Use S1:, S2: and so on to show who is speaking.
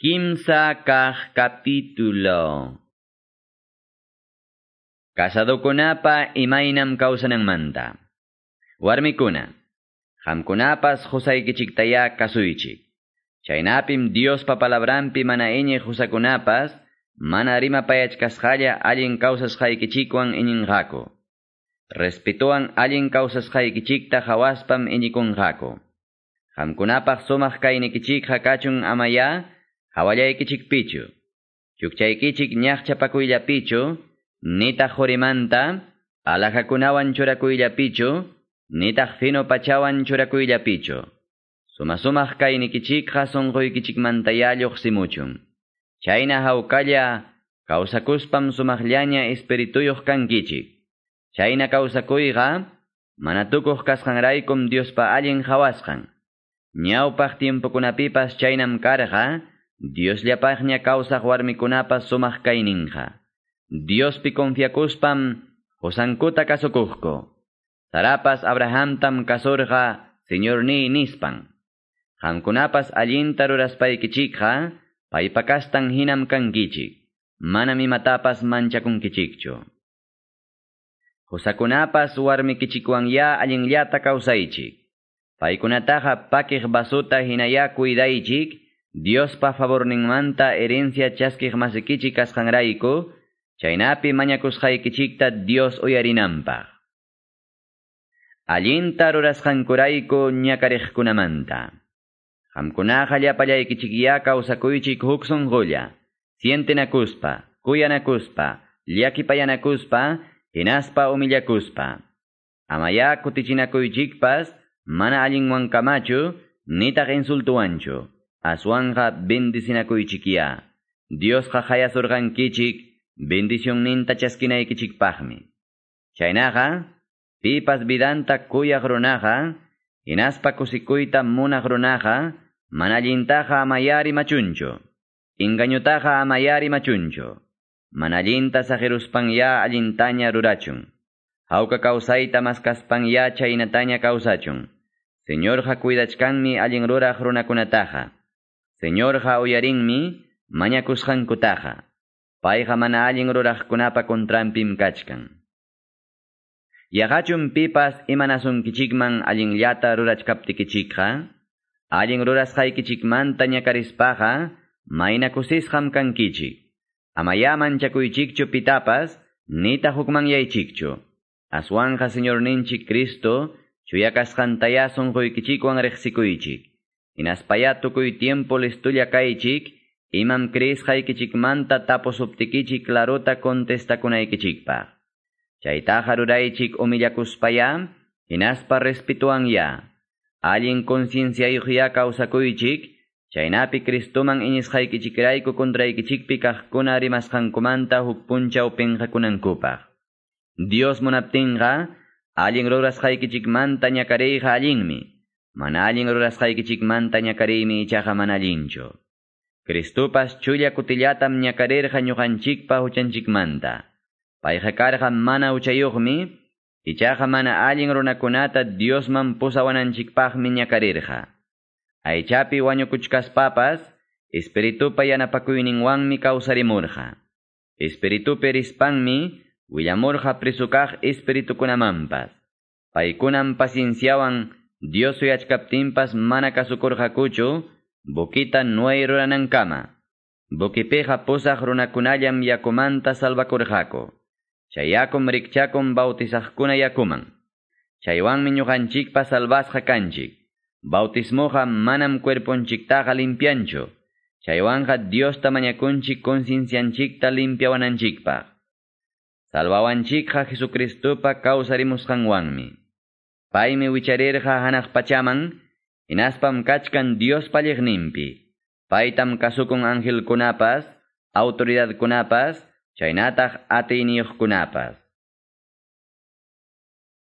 S1: Kimsa kaq capítulo. Casadokunapa imaynam kawsananmanta. Warmikuna, qamkunapas qusaykichiktayá kasuychik. Chaynapim Diospa palabranpi mana iñiq qusakunapas mana rimapayachkasqalla allin kawsasqaykichikwan iñinqaku. Respetuwan allin kawsasqaykichikta hawaspam iñikunqaku. Qamkunapaq sumaq kaynikichikqa kachun amaya hawallaykichikpichu. Chukchaykichik ñaqchapakuyllapichu, nitaq qurimanta, alhajakunawan churakuyllapichu, nitaq fino pachawan churakuyllapichu. Suma-sumaq kaynikichikqa sunquykichikmantayá lluqsimuchun. Chayna hawkalla kawsakuspam sumaqllaña espirituyuq kankichik. Chayna kawsakuyqa mana tukuq kasqanraykum Diospa allin hawasqan. Ñawpaq tiempokunapipas chaynam karqa, Diosllapaqña kawsaq warmikunapas sumaq kayninqa. Diospi confiakuspam qusankuta kasukuqku. Sarapas Abrahamtam kasurqa Señorniy nispan. Qamkunapas allinta ruraspaykichikqa, paypa kastan hinam kankichik. Manam imatapas manchakunkichikchu. Qusakunapas warmikichikwanya allinllata kawsaychik. Paykunataqa pakiq vasuta hinaya cuidaychik, Diospa favorninmanta herencia chaskiq masikichik kasqanrayku, chaynapi mañakusqaykichikta Dios uyarinanpaq. Allinta rurasqankurayku ñakariqkunamanta. Qamkunaqa llapallaykichikyá kawsakuychik huk sunqulla, sientenakuspa, kuyanakuspa, llakipayanakuspa, hinaspa humillakuspa. Amaya kutichinakuychikpas, mana allinwankamachu, nitaq insultuwanchu. Aswanqa bendicinakuychikya. Diosqa hayasurqankichik bendicionninta chaskinaykichikpaqmi. Chaynaqa, pipas vidanta kuyaq runaqa, hinaspa kusikuyta munaq runaqa, mana allintaqa amayá rimachunchu. Engañotaqa amayá rimachunchu. Mana allinta saqeruspanya allintaña rurachun. Hawka kawsayta maskaspanya chaynataña kawsachun. Señorqa cuidachkanmi allin ruraq runakunataqa. Señorqa uyarinmi mañakusqankutaqa. Payqa mana allin ruraqkunapa contranpim kachkan. Yaqachun pipas imanasunkichikman allinllata rurachkaptikichikqa, allin rurasqaykichikmanta ñakarispaqa, mayna kusisqam kankichik. Amaya manchakuychikchu pitapas, nitaq hukmanyaychikchu. Aswanqa Señorninchik Cristo, chuya kasqantaya sunquykichikwan riqsikuychik. Hinaspaya tukuy tiempo listulla kaychik, imam creesqaykichikmanta tapusuptikichik clarota contestakunaykichikpaq. Chaytaqa ruraychik humillakuspaya, hinaspa respetuanya. Allin concienciayuqya kawsakuychik, chaynapi Cristoman iñisqaykichikrayku contraykichikpi kaqkuna rimasqankumanta huk punchaw pinqakunankupaq. Dios munaptinqa, allin rurasqaykichikmanta ñakariyqa allinmi. Mana allin rurasqaykichikmanta ñakariymi ichaqa mana allinchu. Cristopas chulla kutillatam ñakarirqa ñuqanchikpa huchanchikmanta. Payqa karqa mana huchayuqmi, ichaqa mana allin runakunata Diosman pusawananchikpaqmi ñakarirqa. Aychapi wañukuchkaspapas, Espiritupa yanapakuyninwanmi kawsarimurqa. Espiritupi rispanmi willamurqa prisukaq espiritukunamanpas. Paykunam pacienciawan Dios suyachkaptinpas mana kasukurqakuchu, buquita Noé ruranankama. Buquipiqa pusaq runakunallam yakumanta salvakurqaku. Chay yakum rikchakun bautizaqkuna yakuman. Chaywanmi ñuqanchikpa salvasqa kanchik. Bautismoqa manam cuerponchiktaqa limpianchu. Chaywanqa Diosta mañakunchik conciencianchikta limpiawananchikpaq. Salvawanchikqa Jesucristopa kawsarimusqanwanmi. Paymi wicharirqa hanaq pachaman, hinaspam kachkan Diospa alliqninpi. Paytam kasukun angelkunapas, autoridadkunapas, chaynataq atiyniyuqkunapas.